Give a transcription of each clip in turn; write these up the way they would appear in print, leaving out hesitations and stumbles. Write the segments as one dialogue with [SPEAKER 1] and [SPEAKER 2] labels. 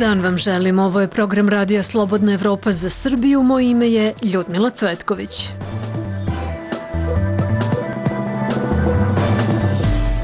[SPEAKER 1] dan vam želim. Ovo je program Radija Slobodna Evropa za Srbiju. Moje ime je Ljudmila Cvetković.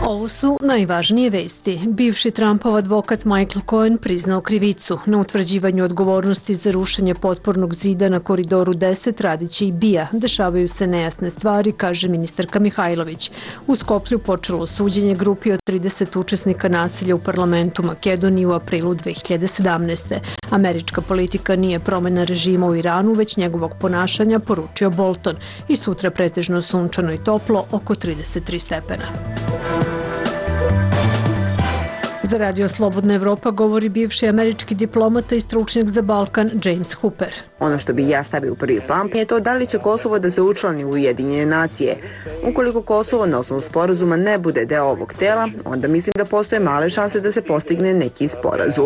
[SPEAKER 1] Ovo su najvažnije vesti. Bivši Trumpov advokat Michael Cohen priznao krivicu. Na utvrđivanju odgovornosti za rušenje potpornog zida na Koridoru 10 radiće i BIA. Dešavaju se nejasne stvari, kaže ministarka Mihajlović. U Skoplju počelo suđenje grupi od 30 učesnika nasilja u parlamentu Makedonije u aprilu 2017. Američka politika nije promena režima u Iranu, već njegovog ponašanja, poručio Bolton. I sutra pretežno sunčano i toplo, oko 33 stepena. Za Radio Slobodna Evropa govori bivši američki diplomata i stručnjak za Balkan James Hooper.
[SPEAKER 2] Ono što bi ja stavio u prvi plan je to da li će Kosovo da se učlani u Ujedinjene nacije. Ukoliko Kosovo na osnovu sporazuma ne bude deo ovog tela, onda mislim da postoje male šanse da se postigne neki sporazum.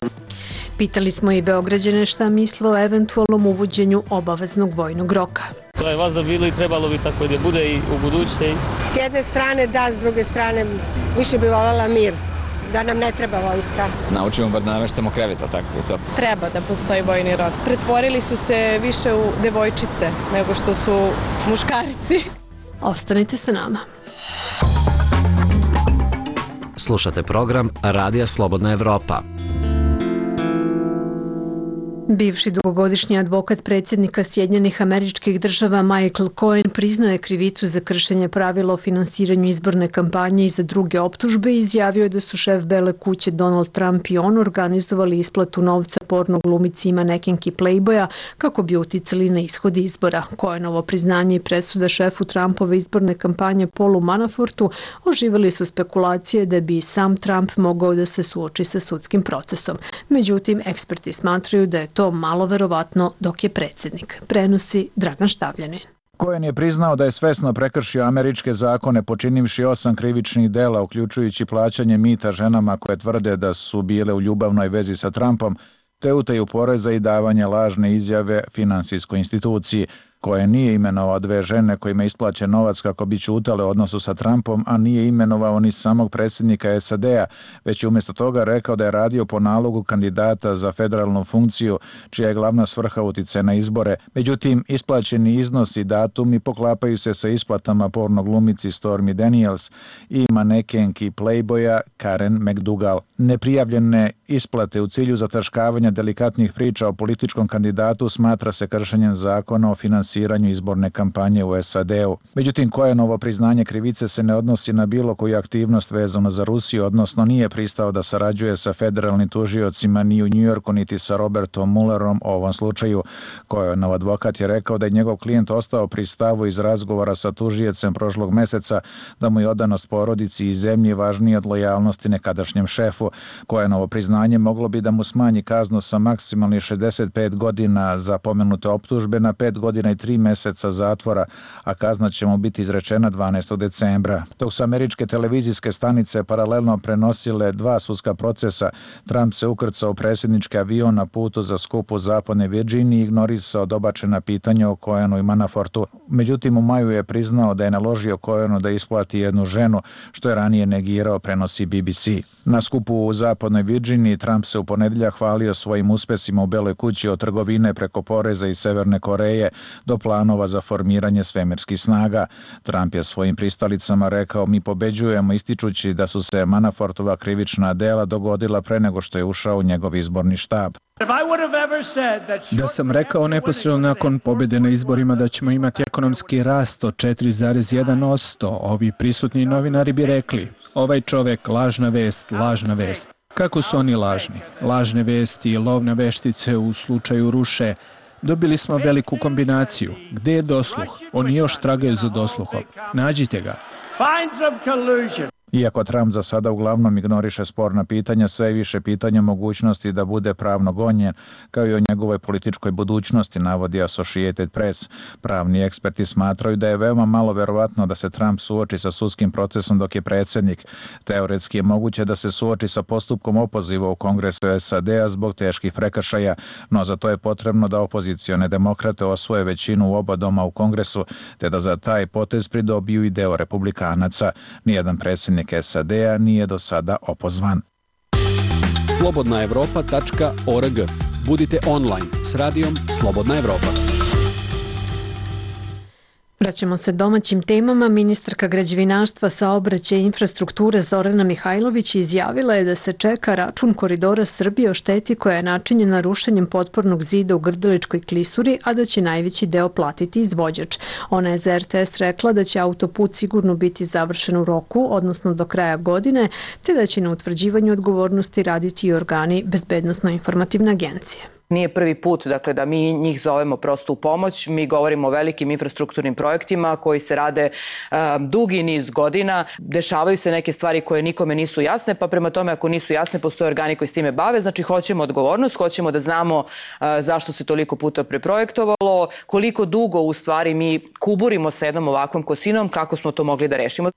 [SPEAKER 1] Pitali smo i Beograđane šta misle o eventualnom uvođenju obaveznog vojnog roka.
[SPEAKER 3] To je vazda bilo i trebalo bi tako da bude i u buduće.
[SPEAKER 4] S jedne strane da, s druge strane više bi voljela mir. Da nam ne treba vojska.
[SPEAKER 5] Naučimo bar da nameštamo kreveta, tako je to.
[SPEAKER 6] Treba da postoji vojni rok. Pretvorili su se više u devojčice nego što su muškarci.
[SPEAKER 1] Ostanite sa nama.
[SPEAKER 7] Slušate program Radija Slobodna Evropa.
[SPEAKER 1] Bivši dugogodišnji advokat predsjednika Sjedinjenih Američkih Država Michael Cohen priznao je krivicu za kršenje pravila o finansiranju izborne kampanje i za druge optužbe i izjavio je da su šef Bele kuće Donald Trump i on organizovali isplatu novca porno glumici manekenki Playboya kako bi uticali na ishod izbora. Cohenovo priznanje i presuda šefu Trumpove izborne kampanje Paulu Manafortu oživali su spekulacije da bi sam Trump mogao da se suoči sa sudskim procesom. Međutim, eksperti smatraju da je to malo verovatno dok je predsjednik. Prenosi Dragan Štavljanin.
[SPEAKER 8] Cohen je priznao da je svesno prekršio američke zakone počinivši 8 krivičnih dela, uključujući plaćanje mita ženama koje tvrde da su bile u ljubavnoj vezi sa Trumpom, te utaju poreza i davanje lažne izjave finansijskoj instituciji. Cohen nije imenovao 2 žene kojima je isplaćen novac kako bi ćutale u odnosu sa Trumpom, a nije imenovao ni samog predsjednika SAD-a, već je umjesto toga rekao da je radio po nalogu kandidata za federalnu funkciju, čija je glavna svrha uticaja na izbore. Međutim, isplaćeni iznosi i datumi poklapaju se sa isplatama porno glumici Stormy Daniels i manekenki Playboya Karen McDougal. Neprijavljene isplate u cilju zataškavanja delikatnih priča o političkom kandidatu smatra se kršenjem zakona o finansiranju izborne kampanje u SAD-u. Međutim, Cohenovo priznanje krivice se ne odnosi na bilo koju aktivnost vezano za Rusiju, odnosno nije pristao da sarađuje sa federalnim tužiocima ni u Njujorku niti sa Robertom Muellerom u ovom slučaju. Cohenov advokat je rekao da je njegov klijent ostao pri stavu iz razgovora sa tužiocem prošlog meseca da mu je odanost porodici i zemlji važnije od lojalnosti nekadašnjem šefu. Cohenovo priznanje moglo bi da mu smanji kaznu sa maksimalnih 65 godina za pomenute optužbe na 5 godina i 3 meseca zatvora, a kazna će mu biti izrečena 12. decembra. Dok su američke televizijske stanice paralelno prenosile 2 sudska procesa, Trump se ukrcao u predsjednički avion na putu za skup u zapadnoj Virginiji i ignorisao dobačena pitanja o Cohenu i Manafortu. Međutim, u maju je priznao da je naložio Cohenu da isplati jednu ženu, što je ranije negirao, prenosi BBC. Na skupu u zapadnoj Virginiji Trump se u ponedjeljak hvalio svojim uspesima u Beloj kući od trgovine preko poreza iz Severne Koreje do planova za formiranje svemirskih snaga. Trump je svojim pristalicama rekao: "Mi pobeđujemo", ističući da su se Manafortova krivična dela dogodila pre nego što je ušao u njegov izborni štab.
[SPEAKER 9] Da sam rekao neposredno nakon pobjede na izborima da ćemo imati ekonomski rast od 4,1%, ovi prisutni novinari bi rekli: "Ovaj čovek, lažna vest, lažna vest." Kako su oni lažni? Lažne vesti i lovne veštice u slučaju Ruše. Dobili smo veliku kombinaciju. Gde je dosluh? Oni još tragaju za dosluhom. Nađite ga.
[SPEAKER 8] Iako Trump za sada uglavnom ignoriše sporna pitanja, sve je više pitanja mogućnosti da bude pravno gonjen, kao i o njegovoj političkoj budućnosti, navodi Associated Press. Pravni eksperti smatraju da je veoma malo verovatno da se Trump suoči sa sudskim procesom dok je predsjednik. Teoretski je moguće da se suoči sa postupkom opoziva u Kongresu SAD-a zbog teških prekršaja, no za to je potrebno da opozicione demokrate osvoje većinu u oba doma u Kongresu, te da za taj potez pridobiju i deo republikanaca. Nijedan predsjednik SAD-a nije do sada opozvan.
[SPEAKER 10] slobodnaevropa.org. Budite online s radijom Slobodna Evropa.
[SPEAKER 1] Vraćamo se domaćim temama. Ministarka građevinarstva, saobraćaja i infrastrukture Zorana Mihajlović izjavila je da se čeka račun Koridora Srbije o šteti koja je načinjena rušenjem potpornog zida u Grdeličkoj klisuri, a da će najveći deo platiti izvođač. Ona je za RTS rekla da će autoput sigurno biti završen u roku, odnosno do kraja godine, te da će na utvrđivanju odgovornosti raditi i organi Bezbednosno-informativne agencije.
[SPEAKER 11] Nije prvi put dakle, da mi njih zovemo prosto u pomoć. Mi govorimo o velikim infrastrukturnim projektima koji se rade dugi niz godina. Dešavaju se neke stvari koje nikome nisu jasne, pa prema tome ako nisu jasne postoje organi koji s time bave. Znači hoćemo odgovornost, hoćemo da znamo zašto se toliko puta preprojektovalo, koliko dugo u stvari mi kuburimo sa jednom ovakvom kosinom, kako smo to mogli da rešimo.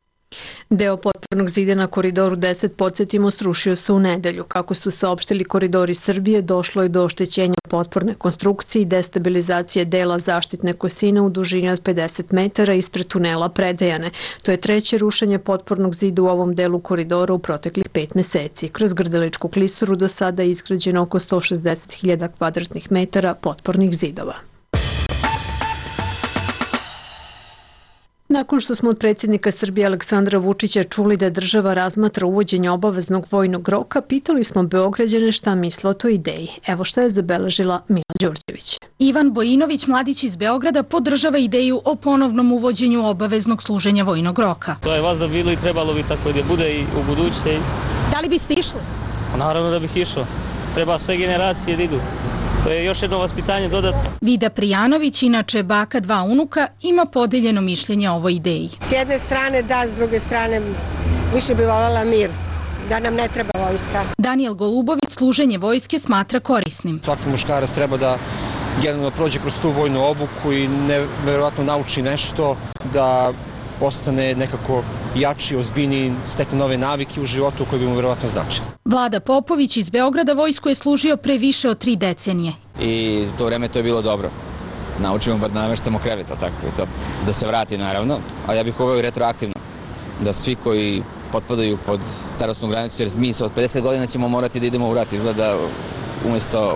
[SPEAKER 1] Deo potpornog zida na Koridoru 10, podsjetimo, srušio se u nedelju. Kako su saopštili Koridori Srbije, došlo je do oštećenja potporne konstrukcije i destabilizacije dela zaštitne kosine u dužini od 50 metara ispred tunela Predejane. To je treće rušenje potpornog zida u ovom delu koridora u proteklih 5 meseci. Kroz Grdeličku klisuru do sada je izgrađeno oko 160.000 kvadratnih metara potpornih zidova. Nakon što smo od predsjednika Srbije Aleksandra Vučića čuli da država razmatra uvođenje obaveznog vojnog roka, pitali smo Beograđane šta misle o toj ideji. Evo šta je zabeležila Mila Đorđević.
[SPEAKER 12] Ivan Bojinović, mladić iz Beograda, podržava ideju o ponovnom uvođenju obaveznog služenja vojnog roka.
[SPEAKER 3] To je vazda bilo i trebalo bi tako da bude i u buduće.
[SPEAKER 12] Da li biste išli?
[SPEAKER 3] Naravno da bih išao. Treba sve generacije da idu. To je još jedno vaspitanje dodatno.
[SPEAKER 12] Vida Prijanović, inače baka 2 unuka, ima podeljeno mišljenje o ovoj ideji.
[SPEAKER 4] S jedne strane da, s druge strane više bi voljela mir, da nam ne treba vojska.
[SPEAKER 12] Daniel Golubović služenje vojske smatra korisnim.
[SPEAKER 13] Svaki muškarac treba da generalno prođe kroz tu vojnu obuku i nevjerojatno nauči nešto, da postane nekako jači, ozbiljniji, stekne nove navike u životu koje bi mu vjerovatno značile.
[SPEAKER 12] Vlada Popović iz Beograda vojsku je služio pre više od 3 decenije.
[SPEAKER 5] I to vreme to je bilo dobro. Naučimo bar da nameštamo krevet, tako je to. Da se vrati naravno, a ja bih uveo i retroaktivno. Da svi koji potpadaju pod starosnu granicu, jer mi od 50 godina ćemo morati da idemo u rat, izgleda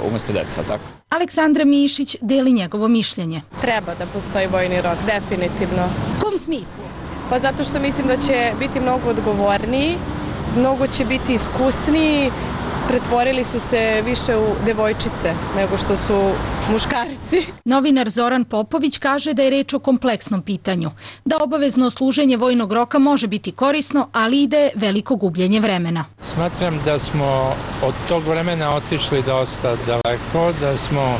[SPEAKER 5] umjesto deca, tako?
[SPEAKER 12] Aleksandra Mišić deli njegovo mišljenje.
[SPEAKER 6] Treba da postoji vojni rok, definitivno.
[SPEAKER 12] U kom smislu?
[SPEAKER 6] Pa zato što mislim da će biti mnogo odgovorniji, mnogo će biti iskusniji, pretvorili su se više u devojčice nego što su muškarci.
[SPEAKER 12] Novinar Zoran Popović kaže da je reč o kompleksnom pitanju, da obavezno služenje vojnog roka može biti korisno, ali i da je veliko gubljenje vremena.
[SPEAKER 14] Smatram da smo od tog vremena otišli dosta daleko, da smo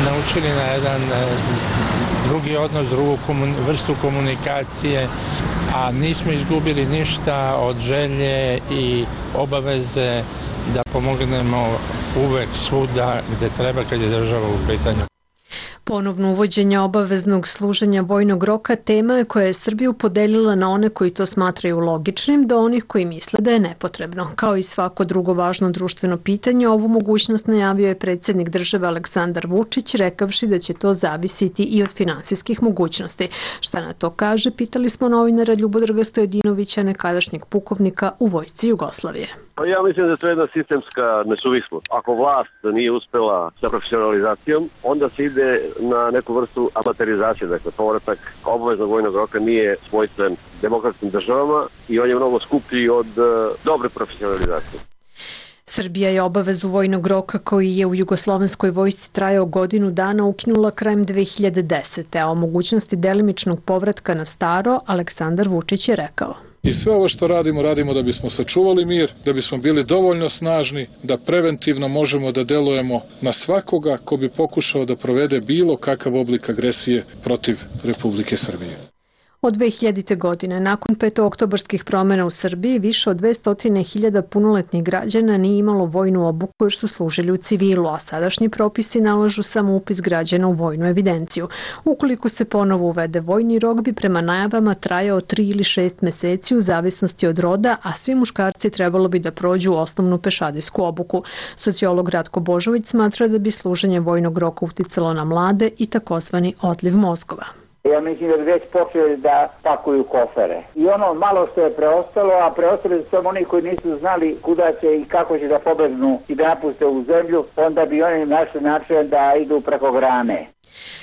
[SPEAKER 14] naučili na jedan drugi odnos, drugu vrstu komunikacije, a nismo izgubili ništa od želje i obaveze da pomognemo uvek svuda gde treba kad je država u pitanju.
[SPEAKER 1] Ponovno uvođenje obaveznog služenja vojnog roka tema je koja je Srbiju podelila na one koji to smatraju logičnim do onih koji misle da je nepotrebno. Kao i svako drugo važno društveno pitanje, ovu mogućnost najavio je predsjednik države Aleksandar Vučić, rekavši da će to zavisiti i od finansijskih mogućnosti. Šta na to kaže, pitali smo novinara Ljubodraga Stojadinovića, nekadašnjeg pukovnika u Vojsci Jugoslavije.
[SPEAKER 15] Ja mislim da je to jedna sistemska nesuvislost. Ako vlast nije uspela sa profesionalizacijom, onda se ide na neku vrstu amaterizacije. Dakle, povratak obaveznog vojnog roka nije svojstven demokratskim državama i on je mnogo skuplji od dobre profesionalizacije.
[SPEAKER 1] Srbija je obavezu vojnog roka koji je u jugoslovenskoj vojsci trajao godinu dana ukinula krajem 2010. A o mogućnosti delimičnog povratka na staro Aleksandar Vučić je rekao.
[SPEAKER 16] I sve ovo što radimo, radimo da bismo sačuvali mir, da bismo bili dovoljno snažni, da preventivno možemo da delujemo na svakoga ko bi pokušao da provede bilo kakav oblik agresije protiv Republike Srbije.
[SPEAKER 1] Od 2000. godine, nakon petooktobarskih promjena u Srbiji, više od 200.000 punoletnih građana nije imalo vojnu obuku jer su služili u civilu, a sadašnji propisi nalažu samo upis građana u vojnu evidenciju. Ukoliko se ponovo uvede vojni rok, bi prema najavama trajao 3 ili 6 meseci u zavisnosti od roda, a svi muškarci trebalo bi da prođu osnovnu pešadijsku obuku. Sociolog Ratko Božović smatra da bi služenje vojnog roka uticalo na mlade i takozvani odliv mozgova.
[SPEAKER 17] Ja mislim da bi već počeli da pakuju kofere. I ono malo što je preostalo, a preostali su samo oni koji nisu znali kuda će i kako će da pobegnu i da napuste u zemlju, onda bi oni našli način da idu preko grane.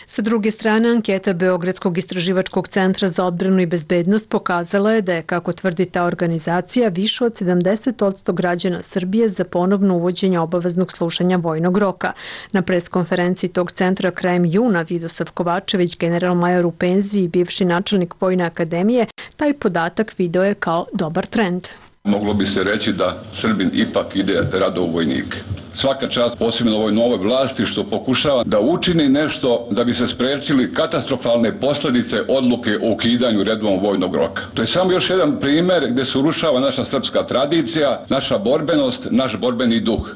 [SPEAKER 1] Sa druge strane, anketa Beogradskog istraživačkog centra za odbranu i bezbednost pokazala je da je, kako tvrdi ta organizacija, više od 70% građana Srbije za ponovno uvođenje obaveznog slušanja vojnog roka. Na preskonferenciji tog centra krajem juna Vidosav Kovačević, general-major u penziji i bivši načelnik Vojne akademije, taj podatak video je kao dobar trend.
[SPEAKER 18] Moglo bi se reći da Srbin ipak ide rado u vojnike. Svaka čast posebno ovoj novoj vlasti što pokušava da učini nešto da bi se sprečili katastrofalne posljedice odluke o ukidanju redovnog vojnog roka. To je samo još jedan primjer gdje se urušava naša srpska tradicija, naša borbenost, naš borbeni duh.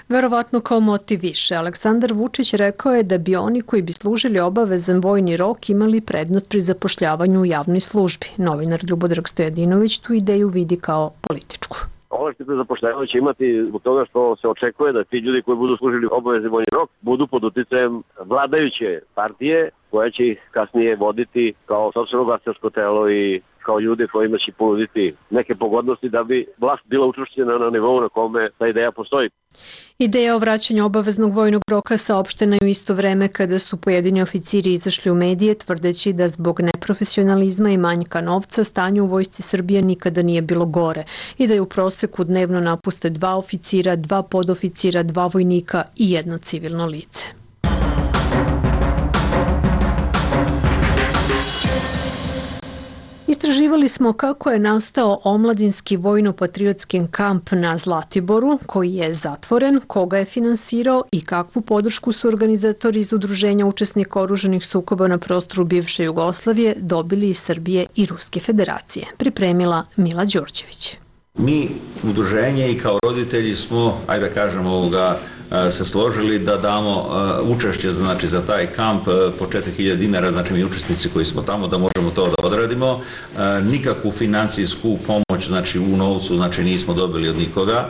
[SPEAKER 1] Verovatno kao motiv više, Aleksandar Vučić rekao je da bi oni koji bi služili obavezan vojni rok imali prednost pri zapošljavanju u javnoj službi. Novinar Ljubodrag Stojadinović tu ideju vidi kao političku.
[SPEAKER 15] Ovo što zapošljavanje će imati zbog toga što se očekuje da ti ljudi koji budu služili obavezni vojni rok budu pod uticajem vladajuće partije koja će ih kasnije voditi kao sopstveno glasačko telo i kao ljude kojima će ponuditi neke pogodnosti da bi vlast bila učvršćena na nivou na kome ta ideja postoji.
[SPEAKER 1] Ideja o vraćanju obaveznog vojnog roka saopštena je u isto vreme kada su pojedini oficiri izašli u medije tvrdeći da zbog neprofesionalizma i manjka novca stanje u vojsci Srbije nikada nije bilo gore i da je u proseku dnevno napuste 2 oficira, 2 podoficira, 2 vojnika i 1 civilno lice. Istraživali smo kako je nastao omladinski vojno-patriotski kamp na Zlatiboru, koji je zatvoren, koga je finansirao i kakvu podršku su organizatori iz udruženja učesnika oružanih sukoba na prostoru bivše Jugoslavije dobili iz Srbije i Ruske federacije. Pripremila Mila Đorđević.
[SPEAKER 19] Mi, udruženje i kao roditelji smo, ajde da kažemo, se složili da damo učešće za taj kamp po 4.000 dinara, znači mi učesnici koji smo tamo da možemo to da odradimo. Nikakvu financijsku pomoć u novcu nismo dobili od nikoga,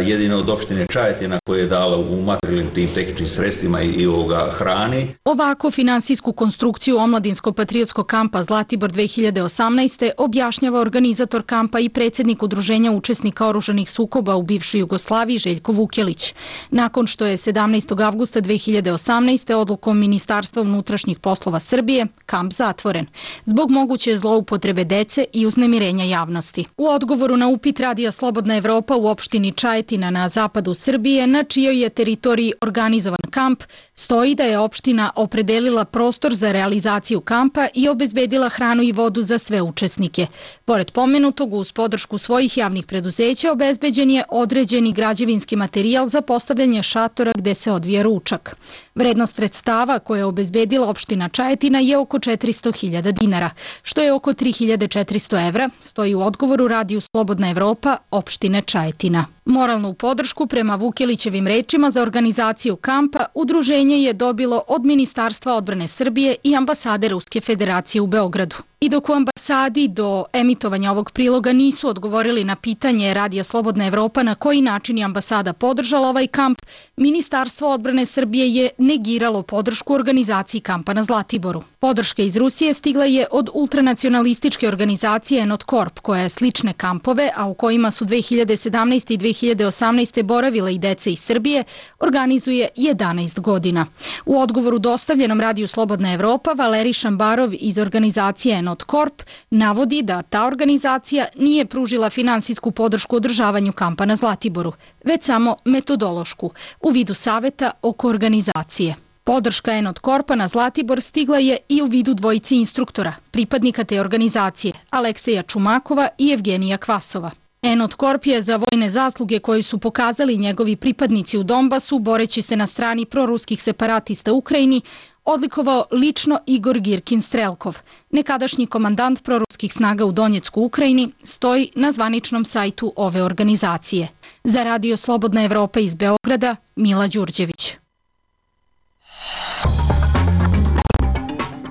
[SPEAKER 19] jedino od opštine Čajetina koja je dala u materijalnim tim tehničkim sredstvima i hrani.
[SPEAKER 12] Ovako finansijsku konstrukciju omladinsko-patriotskog kampa Zlatibor 2018. objašnjava organizator kampa i predsjednik udruženja učesnika oružanih sukoba u bivšoj Jugoslaviji Željko Vukjelić. Nakon što je 17. avgusta 2018. odlukom Ministarstva unutrašnjih poslova Srbije kamp zatvoren zbog moguće zloupotrebe dece i uznemirenja javnosti. U odgovoru na upit Radija Slobodna Evropa u opštini Čajetina na zapadu Srbije, na čijoj je teritoriji organizovan kamp, stoji da je opština opredelila prostor za realizaciju kampa i obezbedila hranu i vodu za sve učesnike. Pored pomenutog, uz podršku svojih javnih preduzeća obezbeđen je određeni građevinski materijal za postavljanje šatora gde se odvija ručak. Vrednost sredstava koje je obezbedila opština Čajetina je oko 400.000 dinara, što je oko 3.400 evra, stoji u odgovoru Radiju Slobodna Evropa opštine Čajetina. Moralnu podršku, prema Vukjelićevim rečima, za organizaciju kampa udruženje je dobilo od Ministarstva odbrane Srbije i ambasade Ruske federacije u Beogradu. I dok u ambasadi do emitovanja ovog priloga nisu odgovorili na pitanje Radija Slobodna Evropa na koji način je ambasada podržala ovaj kamp, Ministarstvo odbrane Srbije je negiralo podršku organizaciji kampa na Zlatiboru. Podrška iz Rusije stigla je od ultranacionalističke organizacije Enotkorp, koja je slične kampove, a u kojima su 2017. i 2018. boravile i dece iz Srbije, organizuje 11 godina. U odgovoru dostavljenom Radiju Slobodna Evropa, Valerij Šambarov iz organizacije Enotkorp navodi da ta organizacija nije pružila finansijsku podršku održavanju kampa na Zlatiboru, već samo metodološku, u vidu saveta oko organizacije. Podrška Enotkorpa na Zlatibor stigla je i u vidu dvojici instruktora, pripadnika te organizacije, Alekseja Čumakova i Evgenija Kvasova. Enotkorp je za vojne zasluge koje su pokazali njegovi pripadnici u Donbasu, boreći se na strani proruskih separatista u Ukrajini, odlikovao lično Igor Girkin Strelkov, nekadašnji komandant proruskih snaga u Donjecku u Ukrajini, stoji na zvaničnom sajtu ove organizacije. Za Radio Slobodna Evropa iz Beograda, Mila Đurđević.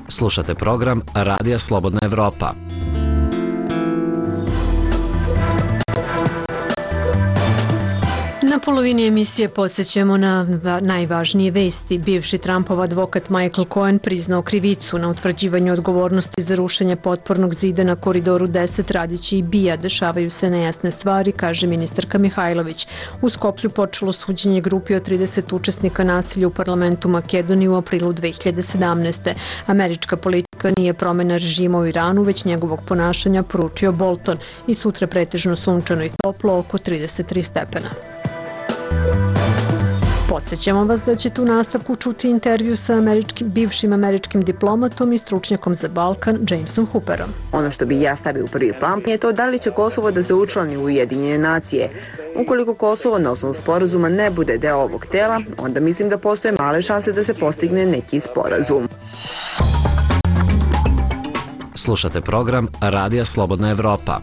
[SPEAKER 7] Slušate program Radija Slobodna Evropa.
[SPEAKER 1] Na polovini emisije podsjećamo na najvažnije vesti. Bivši Trumpov advokat Michael Cohen priznao krivicu na utvrđivanju odgovornosti za rušenje potpornog zida na Koridoru 10 radići i BIA. Dešavaju se nejasne stvari, kaže ministarka Mihajlović. U Skoplju počelo suđenje grupi od 30 učesnika nasilja u parlamentu Makedonije u aprilu 2017. Američka politika nije promjena režima u Iranu, već njegovog ponašanja, poručio Bolton. I sutra pretežno sunčano i toplo, oko 33 stepena. Podsjećamo vas da ćete u nastavku čuti intervju sa bivšim američkim diplomatom i stručnjakom za Balkan, Jamesom Hooperom.
[SPEAKER 2] Ono što bi ja stavio u prvi plan je to da li će Kosovo da se učlani u Ujedinjene nacije. Ukoliko Kosovo na osnovu sporazuma ne bude deo ovog tela, onda mislim da postoje male šanse da se postigne neki sporazum.
[SPEAKER 7] Slušate program Radija Slobodna Evropa.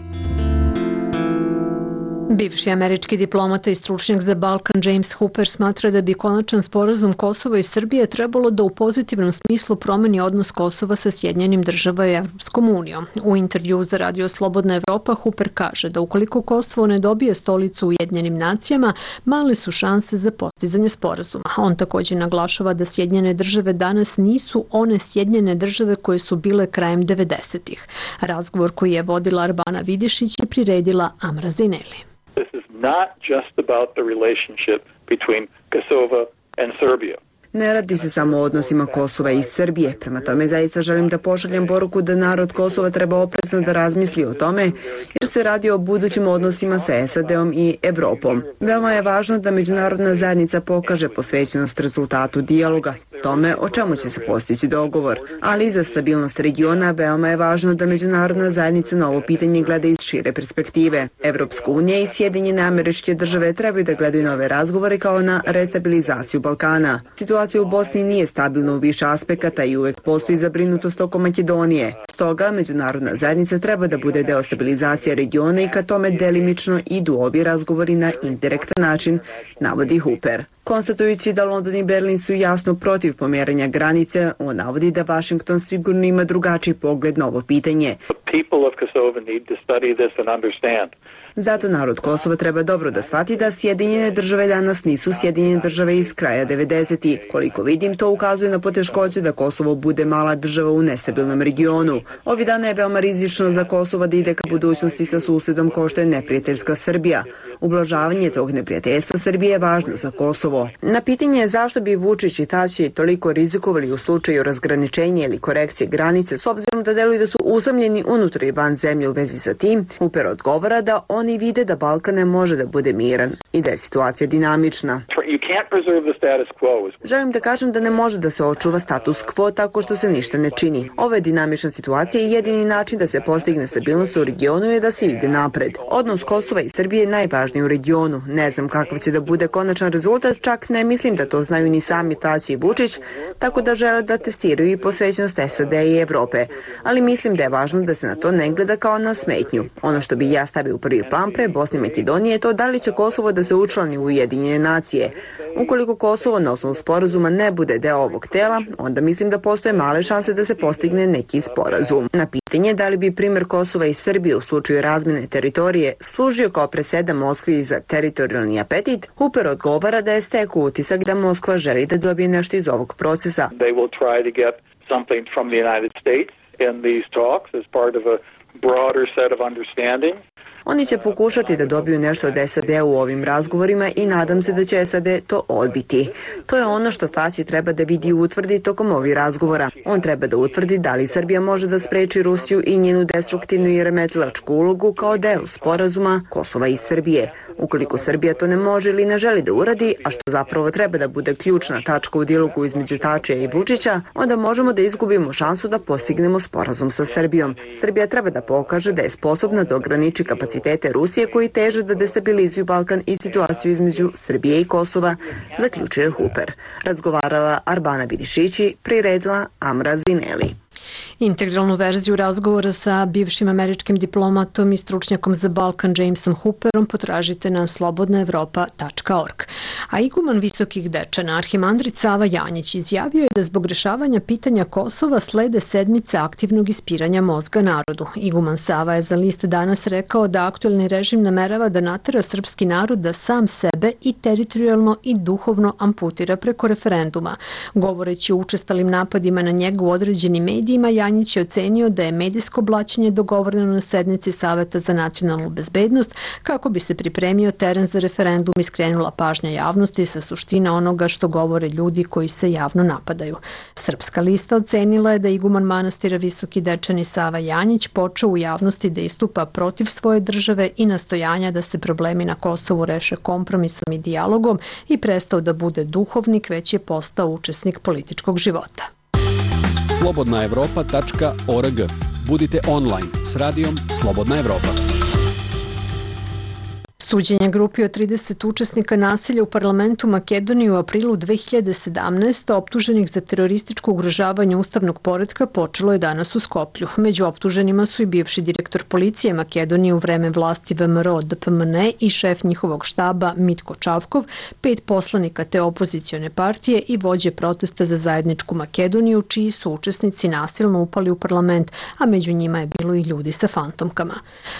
[SPEAKER 1] Bivši američki diplomata i stručnjak za Balkan James Hooper smatra da bi konačan sporazum Kosova i Srbije trebalo da u pozitivnom smislu promeni odnos Kosova sa Sjedinjenim Državama i Evropskom unijom. U intervju za Radio Slobodna Evropa Hooper kaže da ukoliko Kosovo ne dobije stolicu u Ujedinjenim nacijama, male su šanse za postizanje sporazuma. On također naglašava da Sjedinjene Države danas nisu one Sjedinjene Države koje su bile krajem 90-ih. Razgovor koji je vodila Arbana Vidišić je priredila Amra Zineli.
[SPEAKER 20] This is not just about the relationship between Kosovo and Serbia.
[SPEAKER 2] Ne radi se samo o odnosima Kosova i Srbije. Prema tome zaista želim da pošaljem poruku da narod Kosova treba oprezno da razmisli o tome, jer se radi o budućim odnosima sa SAD-om i Evropom. Veoma je važno da međunarodna zajednica pokaže posvećenost rezultatu dijaloga, tome o čemu će se postići dogovor. Ali i za stabilnost regiona veoma je važno da međunarodna zajednica na ovo pitanje gleda iz šire perspektive. Evropska unija i Sjedinjene Američke Države trebaju da gledaju na ove razgovore kao na restabilizaciju Balkana. Situacija u Bosni nije stabilna u više aspekata i uvek postoji zabrinutost oko Makedonije. Stoga, međunarodna zajednica treba da bude deo stabilizacije regiona i ka tome delimično idu ovi razgovori na indirektan način, navodi Hooper. Konstatujući da London i Berlin su jasno protiv pomeranja granice, on navodi da Washington sigurno ima drugačiji pogled na ovo pitanje. Zato narod Kosova treba dobro da shvati da Sjedinjene Države danas nisu Sjedinjene Države iz kraja 90-ih. Koliko vidim, to ukazuje na poteškoće da Kosovo bude mala država u nestabilnom regionu. Ovi dana je veoma rizično za Kosovo da ide ka budućnosti sa susedom kao što je neprijateljska Srbija. Ublažavanje tog neprijateljstva Srbije je važno za Kosovo. Na pitanje zašto bi Vučić i Tači toliko rizikovali u slučaju razgraničenja ili korekcije granice s obzirom da deluju da su usamljeni unutar i van zemlje u vezi sa tim, Hooper odgovara da oni vide da Balkan ne može da bude miran i da je situacija dinamična. Želim da kažem da ne može da se očuva status quo tako što se ništa ne čini. Ova je dinamična situacija i jedini način da se postigne stabilnost u regionu je da se ide napred. Odnos Kosova i Srbije je najvažniji u regionu. Ne znam kakav će da bude konačan rezultat, čak ne mislim da to znaju ni sami Tači i Vučić, tako da žele da testiraju i posvećenost SAD i Evrope. Ali mislim da je važno da se na to ne gleda kao na smetnju. Ono što bi ja stavio u prvi plan pre Bosne i Makedonije je to da li će Kosovo da se učlani u Ujedinjene nacije. Ukoliko Kosovo na osnovu sporazuma ne bude deo ovog tela, onda mislim da postoje male šanse da se postigne neki sporazum. Na pitanje da li bi primjer Kosova i Srbije u slučaju razmjene teritorije služio kao presedan Moskvi za teritorijalni apetit, Hooper odgovara da je stekao utisak da Moskva želi da dobije nešto iz ovog procesa.
[SPEAKER 20] They will try to get something from the United States in these talks as part of a broader set of understanding.
[SPEAKER 2] Oni će pokušati da dobiju nešto od SAD u ovim razgovorima i nadam se da će SAD to odbiti. To je ono što Tači treba da vidi i utvrdi tokom ovih razgovora. On treba da utvrdi da li Srbija može da spreči Rusiju i njenu destruktivnu i remetilačku ulogu kao deo sporazuma Kosova i Srbije. Ukoliko Srbija to ne može ili ne želi da uradi, a što zapravo treba da bude ključna tačka u dijalogu između Tačija i Vučića, onda možemo da izgubimo šansu da postignemo sporazum sa Srbijom. Srbija treba da pokaže da je sposobna da ograniči kapacitete Rusije koji teže da destabilizuju Balkan i situaciju između Srbije i Kosova, zaključuje Hooper. Razgovarala Arbana Vidišići, priredila Amra Zineli.
[SPEAKER 1] Integralnu verziju razgovora sa bivšim američkim diplomatom i stručnjakom za Balkan Jamesom Hooperom potražite na slobodnaevropa.org. A iguman Visokih Dečana, arhimandrit Sava Janjić, izjavio je da zbog rešavanja pitanja Kosova slede sedmice aktivnog ispiranja mozga narodu. Iguman Sava je za List Danas rekao da aktuelni režim namerava da natera srpski narod da sam sebe i teritorijalno i duhovno amputira preko referenduma. Govoreći o učestalim napadima na njega u određenim medijima, Janjić je ocenio da je medijsko blaćenje dogovoreno na sednici Saveta za nacionalnu bezbednost kako bi se pripremio teren za referendum i skrenula pažnja javnosti sa suština onoga što govore ljudi koji se javno napadaju. Srpska lista ocenila je da iguman manastira Visoki Dečani Sava Janjić počeo u javnosti da istupa protiv svoje države i nastojanja da se problemi na Kosovu reše kompromisom i dijalogom i prestao da bude duhovnik, već je postao učesnik političkog života.
[SPEAKER 10] slobodnaevropa.org. Budite online s radijom Slobodna Evropa.
[SPEAKER 1] Suđenje grupi od 30 učesnika nasilja u parlamentu Makedonije u aprilu 2017. optuženih za terorističko ugrožavanje ustavnog poretka počelo je danas u Skoplju. Među optuženima su i bivši direktor policije Makedonije u vreme vlasti VMRO DPMN i šef njihovog štaba Mitko Čavkov, 5 poslanika te opozicione partije i vođe protesta za zajedničku Makedoniju, čiji su učesnici nasilno upali u parlament, a među njima je bilo i ljudi sa fantomkama.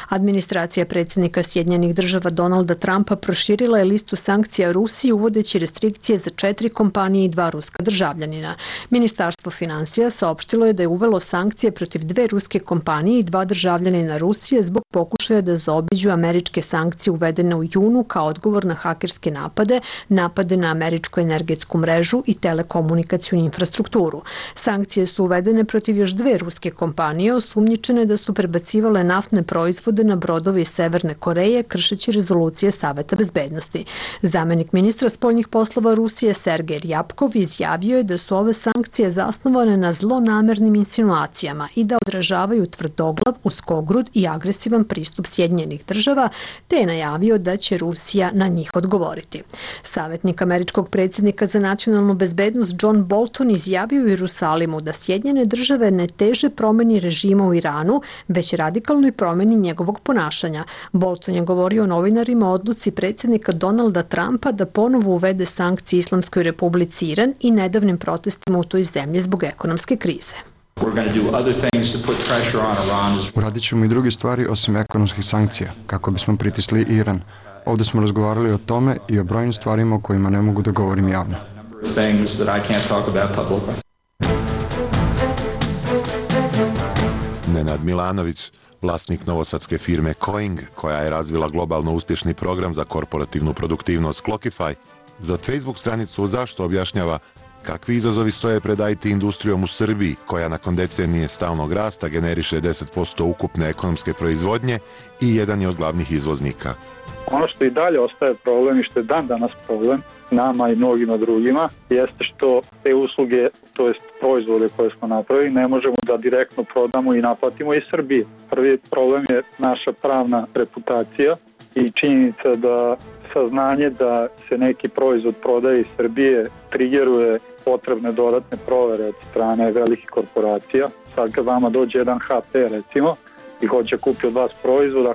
[SPEAKER 1] Administracija predsjednika Sjedinjenih Država Donalda Trumpa proširila je listu sankcija Rusiji uvodeći restrikcije za 4 kompanije i 2 ruska državljanina. Ministarstvo finansija saopštilo je da je uvelo sankcije protiv 2 ruske kompanije i 2 državljanina Rusije zbog pokušaja da zaobiđu američke sankcije uvedene u junu kao odgovor na hakerske napade na američku energetsku mrežu i telekomunikacijnu infrastrukturu. Sankcije su uvedene protiv još 2 ruske kompanije osumnjičene da su prebacivale naftne proizvode na brodove iz Severne Koreje kršeći rezolucije Saveta bezbednosti. Zamenik ministra spoljnih poslova Rusije Sergej Ryabkov izjavio je da su ove sankcije zasnovane na zlonamernim insinuacijama i da odražavaju tvrdoglav, uskogrud i agresivan pristup Sjedinjenih Država, te je najavio da će Rusija na njih odgovoriti. Savjetnik američkog predsjednika za nacionalnu bezbednost John Bolton izjavio u Jerusalimu da Sjedinjene Države ne teže promeni režima u Iranu, već radikalnoj promeni njegovog ponašanja. Bolton je govorio novinarima o odluci predsjednika Donalda Trumpa da ponovo uvede sankcije Islamskoj Republici Iran i nedavnim protestima u toj zemlji zbog ekonomske krize.
[SPEAKER 21] Uradit ćemo i druge stvari osim ekonomskih sankcija, kako bismo pritisli Iran. Ovdje smo razgovarali o tome i o brojnim stvarima o kojima ne mogu da govorim javno.
[SPEAKER 22] Nenad Milanović, vlasnik novosadske firme Coing, koja je razvila globalno uspješni program za korporativnu produktivnost Clockify, za Facebook stranicu Zašto objašnjava kakvi izazovi stoje pred IT industrijom u Srbiji, koja nakon decenije stalnog rasta generiše 10% ukupne ekonomske proizvodnje i jedan je od glavnih izvoznika.
[SPEAKER 23] Ono što i dalje ostaje problem i što je dan danas problem nama i mnogima drugima jeste što te usluge, to jest proizvode koje smo napravili, ne možemo da direktno prodamo i naplatimo iz Srbije. Prvi problem je naša pravna reputacija i činjenica da saznanje da se neki proizvod prodaje iz Srbije trigeruje potrebne dodatne provere od strane velikih korporacija. Sad kad vama dođe jedan HP recimo i hoće kupi od vas proizvod,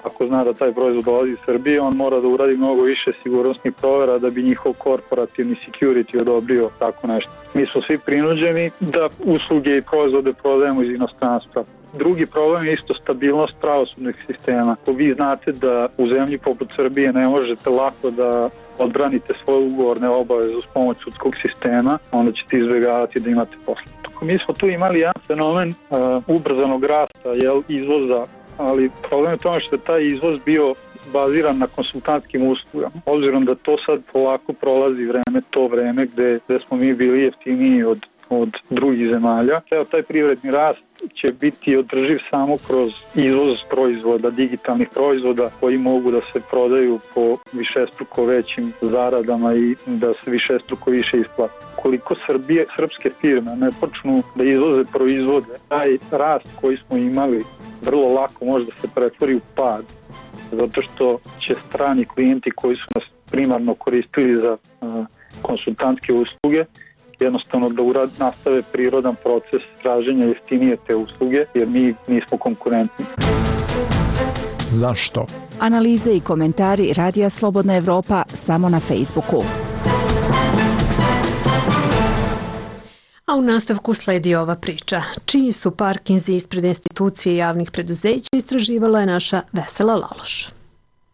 [SPEAKER 23] ako zna da taj proizvod dolazi iz Srbije, on mora da uradi mnogo više sigurnosnih provera da bi njihov korporativni security odobrio tako nešto. Mi smo svi prinuđeni da usluge i proizvode prodajemo iz inostranstva. Drugi problem je isto stabilnost pravosudnih sistema. Ako vi znate da u zemlji poput Srbije ne možete lako da odbranite svoje ugovorne obaveze uz pomoć sudskog sistema, onda ćete izbjegavati da imate posla. Mi smo tu imali jedan fenomen ubrzanog rasta izvoza, ali problem je tome što je taj izvoz bio baziran na konsultantskim uslugama. Obzirom da to sad polako prolazi to vreme gde smo mi bili jeftiniji od drugih zemalja. Taj privredni rast će biti održiv samo kroz izvoz proizvoda, digitalnih proizvoda koji mogu da se prodaju po višestruko većim zaradama i da se višestruko više isplati. Koliko srpske firme ne počnu da izvoze proizvode, taj rast koji smo imali vrlo lako može da se pretvori u pad, zato što će strani klijenti koji su nas primarno koristili za konsultantske usluge jednostavno da nastave prirodan proces traženja jeftinije te usluge, jer mi nismo konkurentni.
[SPEAKER 8] Zašto?
[SPEAKER 9] Analize i komentari Radija Slobodna Evropa samo na Facebooku.
[SPEAKER 1] A u nastavku sledi ova priča. Čiji su parkinzi ispred institucije javnih preduzeća, istraživala je naša Vesela Laloš.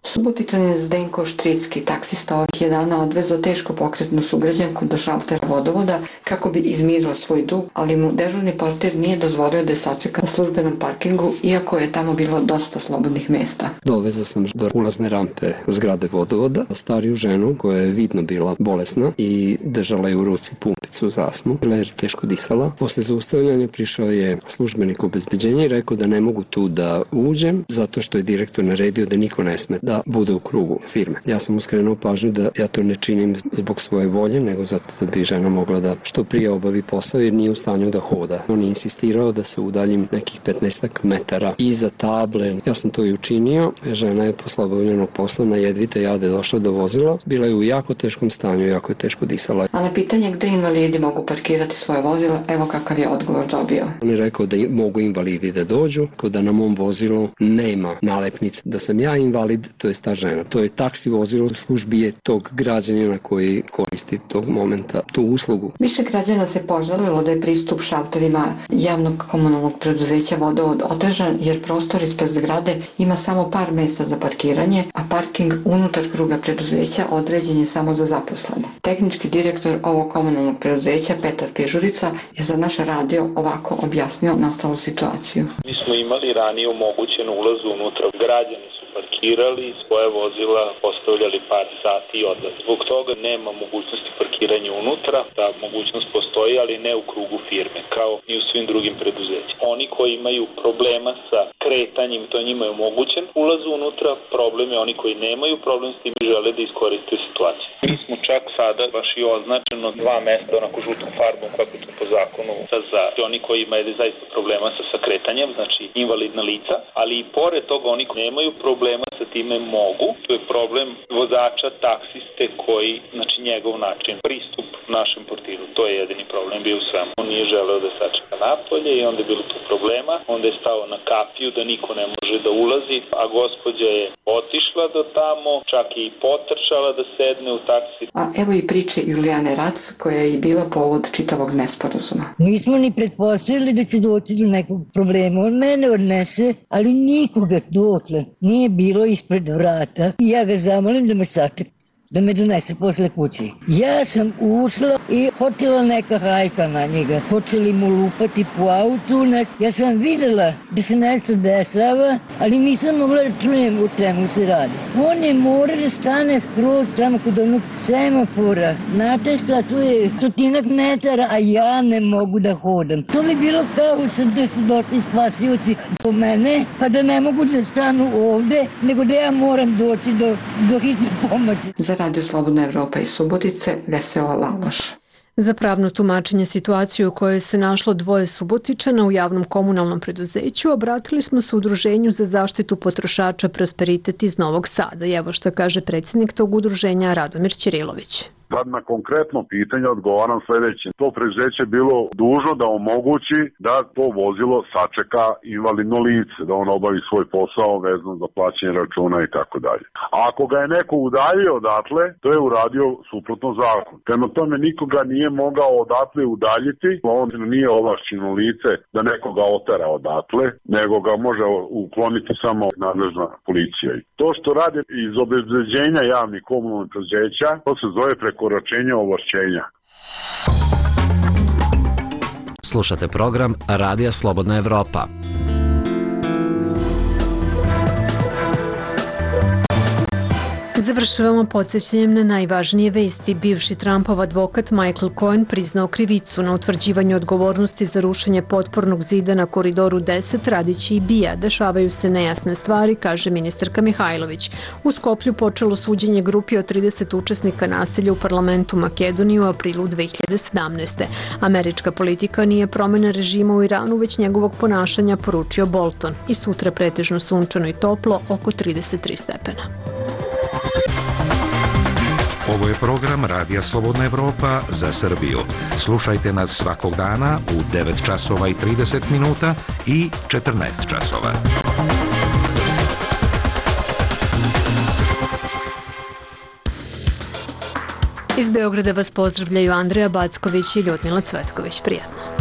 [SPEAKER 11] Subotičanin Zdenko Štricki, taksista ovih je dana odvezao teško pokretnu sugrađanku do šaltera vodovoda kako bi izmirila svoj dug, ali mu dežurni portir nije dozvolio da je sačeka na službenom parkingu, iako je tamo bilo dosta slobodnih mesta.
[SPEAKER 24] Dovezao sam do ulazne rampe zgrade vodovoda stariju ženu koja je vidno bila bolesna i držala je u ruci pumpicu za astmu, jer teško disala. Posle zaustavljanja prišao je službenik obezbeđenja i rekao da ne mogu tu da uđem zato što je direktor naredio da niko ne sme da bude u krugu firme. Ja sam mu skrenuo pažnju da ja to ne činim zbog svoje volje, nego zato da bi žena mogla da što prije obavi posao jer nije u stanju da hoda. On je insistirao da se udaljim nekih 15 metara iza table. Ja sam to i učinio. Žena je posle obavljenog posla na jedvite jade došla do vozila. Bila je u jako teškom stanju, jako je teško disala.
[SPEAKER 11] A na pitanje gde invalidi mogu parkirati svoje vozilo, evo kakav je odgovor dobio.
[SPEAKER 24] On je rekao da mogu invalidi da dođu, kao da na mom vozilu nema nalepnice da sam ja invalid, to je ta žena. To je taksi vozilo, u službi je tog građanina koji koristi tog momenta tu uslugu.
[SPEAKER 11] Više građana se požalilo da je pristup šalterima javnog komunalnog preduzeća Vodovod otežan jer prostor ispred zgrade ima samo par mesta za parkiranje, a parking unutar kruga preduzeća određen je samo za zaposlene. Tehnički direktor ovog komunalnog preduzeća Petar Pežurica je za naš radio ovako objasnio nastalu situaciju.
[SPEAKER 25] Mi smo imali ranije omogućen ulaz unutra, građani su parkirali, svoje vozila postavljali par sati i odlazi. Zbog toga nema mogućnosti parkiranja unutra, ta mogućnost postoji, ali ne u krugu firme, kao i u svim drugim preduzećima. Oni koji imaju problema sa kretanjem, to njima je omogućen ulaz unutra, problem je oni koji nemaju problem s tim i žele da iskoriste situaciju. Mi smo čak sada baš i označeno 2 mesta onako žutom farbom kako to po zakonu za oni koji imaju zaista problema sa kretanjem, znači invalidna lica, ali i pored toga oni koji nemaju problema sa time mogu. To je problem vozača taksiste koji, znači njegov način, pristup našem portiru, to je jedini problem bio u svemu. On nije želeo da sačeka napolje i onda je bilo tu problema, onda je stao na kapiju da niko ne može da ulazi, a gospođa je otišla do tamo, čak i potrčala da sedne u taksi.
[SPEAKER 11] A evo i priče Julijane Rac, koja je i bila povod čitavog nesporazuma.
[SPEAKER 26] Nismo ni pretpostavili da će doći do nekog problema. On mene odnese, ali nikoga dotle nije bilo ispred vrata. I ja ga zamolim da me sačeka, da me donese posle kući. Ja sam ušla i hotela neka hajka na njega. Počeli mu lupati po autu. Ja sam videla da se nešto dešava, ali nisam mogla da čujem o čemu se radi. On je morao da stane skroz tamo kod onog semafora. Znate šta, tu je 100 metara, a ja ne mogu da hodam. To bi bilo kao da su došli spasioci po mene, pa da ne mogu da stanu ovde, nego da ja moram doći do hitne pomoći.
[SPEAKER 11] Za Radio Slobodna Evropa iz Subotice, Vesela Laloš.
[SPEAKER 1] Za pravno tumačenje situacije u kojoj se našlo 2 Subotičana u javnom komunalnom preduzeću obratili smo se Udruženju za zaštitu potrošača Prosperitet iz Novog Sada. I evo što kaže predsjednik tog udruženja Radomir Ćirilović.
[SPEAKER 27] Sad na konkretno pitanje odgovaram sljedeće. To preduzeće je bilo dužno da omogući da to vozilo sačeka invalidno lice, da on obavi svoj posao vezano za plaćanje računa i tako dalje. A ako ga je neko udaljio odatle, to je uradio suprotno zakon. Prema tome nikoga nije mogao odatle udaljiti, on nije ovlašćeno lice da nekoga otera odatle, nego ga može ukloniti samo nadležna policija. To što rade iz obezbeđenja javnih komunalnih preduzeća, to se zove prekoračenje ovlašćenja.
[SPEAKER 7] Slušate program Radija Slobodna Evropa.
[SPEAKER 1] Završavamo podsjećanjem na najvažnije vesti. Bivši Trumpov advokat Michael Cohen priznao krivicu na utvrđivanju odgovornosti za rušenje potpornog zida na Koridoru 10 radići i BIA. Dešavaju se nejasne stvari, kaže ministarka Mihajlović. U Skoplju počelo suđenje grupi od 30 učesnika nasilja u parlamentu Makedonije u aprilu 2017. Američka politika nije promjena režima u Iranu, već njegovog ponašanja, poručio Bolton. I sutra pretežno sunčano i toplo, oko 33 stepena.
[SPEAKER 22] Ovo
[SPEAKER 3] Ovo je program Radija Slobodna Evropa za Srbiju. Slušajte nas svakog dana u 9 časova i 30 minuta i 14 časova.
[SPEAKER 1] Iz Beograda vas pozdravljaju Andreja Backović i Ljudmila Cvetković. Prijatno.